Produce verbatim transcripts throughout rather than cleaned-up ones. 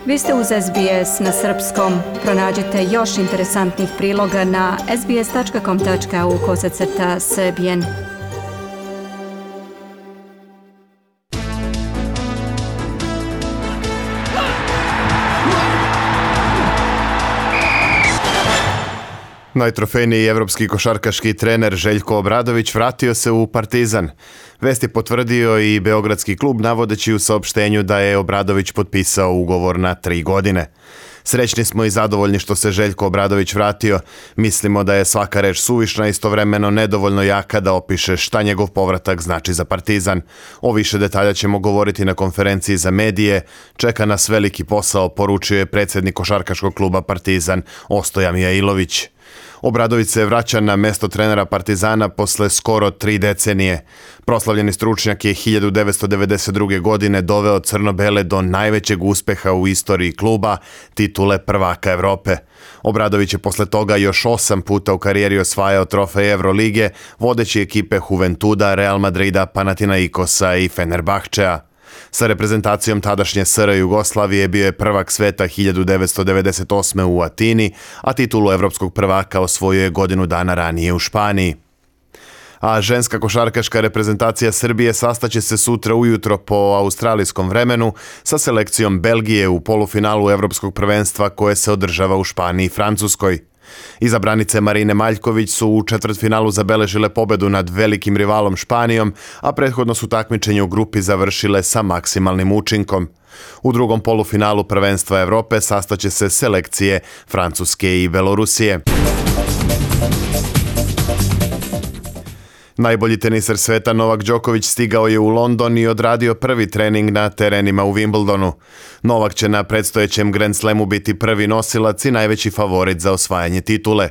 Vi ste uz S B S na srpskom. Pronađite još interesantnih priloga na sbs.com.au kosacrta srbijen. Najtrofejniji evropski košarkaški trener Željko Obradović vratio se u Partizan. Vest je potvrdio i beogradski klub navodeći u saopštenju da je Obradović potpisao ugovor na tri godine. Srećni smo i zadovoljni što se Željko Obradović vratio. Mislimo da je svaka reč suvišna, istovremeno nedovoljno jaka da opiše šta njegov povratak znači za Partizan. O više detalja ćemo govoriti na konferenciji za medije. Čeka nas veliki posao, poručio je predsjednik košarkaškog kluba Partizan Ostoja Mijailović. Obradović se vraća na mesto trenera Partizana posle skoro tri decenije. Proslavljeni stručnjak je hiljadu devetsto devedeset druge. godine doveo crno-bele do najvećeg uspeha u istoriji kluba, titule prvaka Evrope. Obradović je posle toga još osam puta u karijeri osvajao trofej Evrolige, vodeći ekipe Juventuda, Real Madrida, Panathinaikosa i Fenerbahčea. Sa reprezentacijom tadašnje S R Jugoslavije bio je prvak sveta hiljadu devetsto devedeset osme. u Atini, a titulu evropskog prvaka osvojio je godinu dana ranije u Španiji. A ženska košarkaška reprezentacija Srbije sastaće se sutra ujutro po australijskom vremenu sa selekcijom Belgije u polufinalu evropskog prvenstva koje se održava u Španiji i Francuskoj. Izabranice Marine Maljković su u četvrtfinalu zabeležile pobedu nad velikim rivalom Španijom, a prethodno su takmičenje u grupi završile sa maksimalnim učinkom. U drugom polufinalu prvenstva Evrope sastaće se selekcije Francuske i Belorusije. Najbolji teniser sveta Novak Đoković stigao je u London i odradio prvi trening na terenima u Wimbledonu. Novak će na predstojećem Grand Slamu biti prvi nosilac i najveći favorit za osvajanje titule.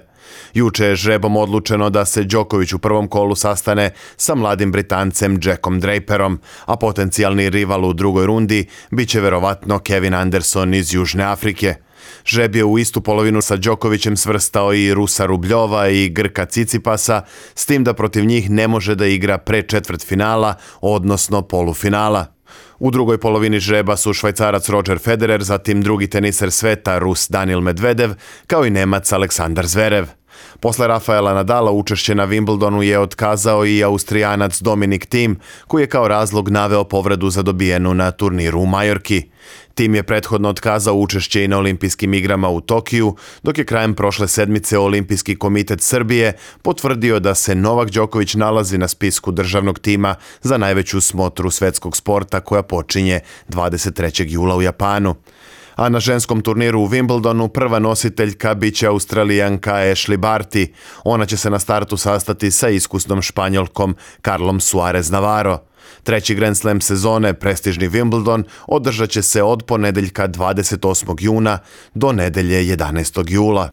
Juče je žrebom odlučeno da se Đoković u prvom kolu sastane sa mladim Britancem Jackom Draperom, a potencijalni rival u drugoj rundi biće verovatno Kevin Anderson iz Južne Afrike. Žreb je u istu polovinu sa Đokovićem svrstao i Rusa Rubljova i Grka Cicipasa, s tim da protiv njih ne može da igra pre četvrtfinala, odnosno polufinala. U drugoj polovini žreba su Švajcarac Roger Federer, zatim drugi teniser sveta Rus Daniil Medvedev, kao i Nemac Aleksandar Zverev. Posle Rafaela Nadala učešće na Wimbledonu je otkazao i Austrijanac Dominic Thiem, koji je kao razlog naveo povredu zadobijenu na turniru u Majorki. Thiem je prethodno otkazao učešće i na olimpijskim igrama u Tokiju, dok je krajem prošle sedmice Olimpijski komitet Srbije potvrdio da se Novak Đoković nalazi na spisku državnog tima za najveću smotru svetskog sporta koja počinje dvadeset trećeg jula u Japanu. A na ženskom turniru u Wimbledonu prva nositeljka biće Australijanka Ashley Barty. Ona će se na startu sastati sa iskusnom Španjolkom Carlom Suarez Navarro. Treći Grand Slam sezone, prestižni Wimbledon, održat će se od ponedeljka dvadeset osmog juna do nedelje jedanaestog jula.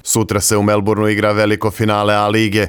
Sutra se u Melbourneu igra veliko finale A lige.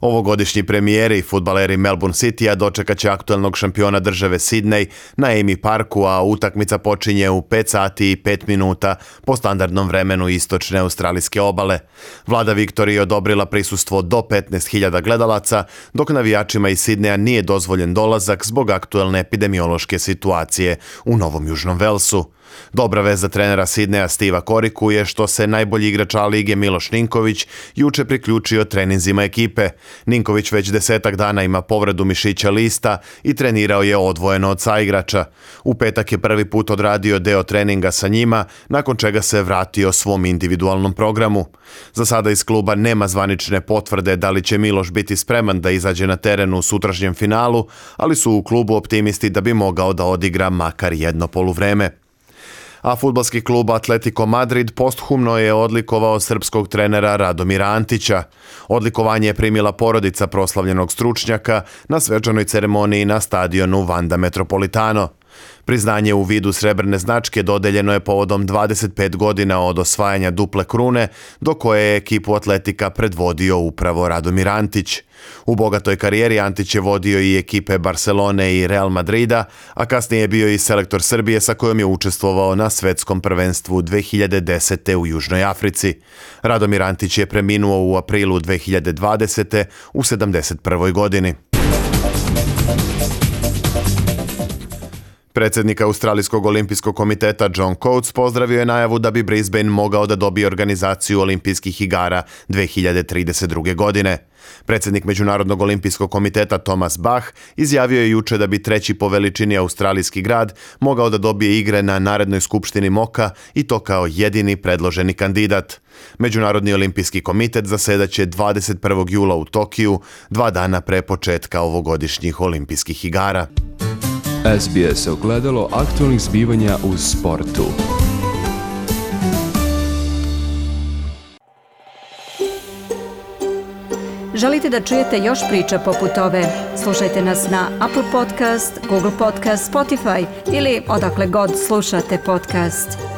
Ovogodišnji premijeri, fudbaleri Melbourne Citya, dočekat će aktuelnog šampiona države Sidney na Amy Parku, a utakmica počinje u pet sati i pet minuta po standardnom vremenu istočne australijske obale. Vlada Viktorije odobrila prisustvo do petnaest hiljada gledalaca, dok navijačima iz Sidneja nije dozvoljen dolazak zbog aktuelne epidemiološke situacije u Novom Južnom Velsu. Dobra vest za trenera Sidneja Steva Koriku je što se najbolji igrač A lige Miloš Ninković juče priključio treninzima ekipe. Ninković već desetak dana ima povredu mišića lista i trenirao je odvojeno od saigrača. U petak je prvi put odradio deo treninga sa njima, nakon čega se vratio svom individualnom programu. Za sada iz kluba nema zvanične potvrde da li će Miloš biti spreman da izađe na teren u sutrašnjem finalu, ali su u klubu optimisti da bi mogao da odigra makar jedno poluvreme. A fudbalski klub Atletico Madrid posthumno je odlikovao srpskog trenera Radomira Antića. Odlikovanje je primila porodica proslavljenog stručnjaka na svečanoj ceremoniji na stadionu Wanda Metropolitano. Priznanje u vidu srebrne značke dodeljeno je povodom dvadeset pet godina od osvajanja duple krune, do koje je ekipu Atletika predvodio upravo Radomir Antić. U bogatoj karijeri Antić je vodio i ekipe Barcelone i Real Madrida, a kasnije je bio i selektor Srbije sa kojom je učestvovao na svetskom prvenstvu dve hiljade desete. u Južnoj Africi. Radomir Antić je preminuo u aprilu dve hiljade dvadesete. u sedamdeset prvoj godini. Predsjednik Australijskog olimpijskog komiteta John Coates pozdravio je najavu da bi Brisbane mogao da dobije organizaciju olimpijskih igara dve hiljade trideset druge. godine. Predsjednik Međunarodnog olimpijskog komiteta Thomas Bach izjavio je juče da bi treći po veličini australijski grad mogao da dobije igre na narednoj skupštini Moka i to kao jedini predloženi kandidat. Međunarodni olimpijski komitet zasedaće dvadeset prvog jula u Tokiju, dva dana pre početka ovogodišnjih olimpijskih igara. S B S ogledalo aktualnih zbivanja u sportu. Želite da čujete još priča poput ove? Slušajte nas na Apple Podcast, Google Podcast, Spotify ili odakle god slušate podcast.